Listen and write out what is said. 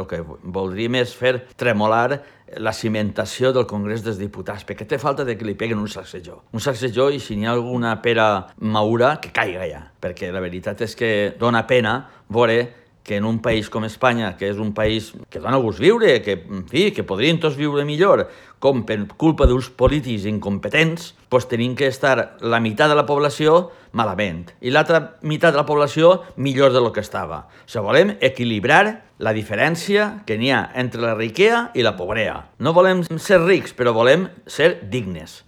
El que voldríem és fer tremolar la cimentació del Congrés dels Diputats, perquè té falta de que li peguen un sacsejó. Un sacsejó, i si n'hi ha alguna pera maura, que caiga ja. Perquè la veritat és que dona pena veure que en un país com Espanya, que és un país que dona gust viure, que, en fi, que podrien tots viure millor, com per culpa d'uns polítics incompetents, doncs tenim que estar la meitat de la població malament i l'altra meitat de la població millor del que estava. O sigui, volem equilibrar la diferència que n'hi ha entre la riquesa i la pobresa. No volem ser rics, però volem ser dignes.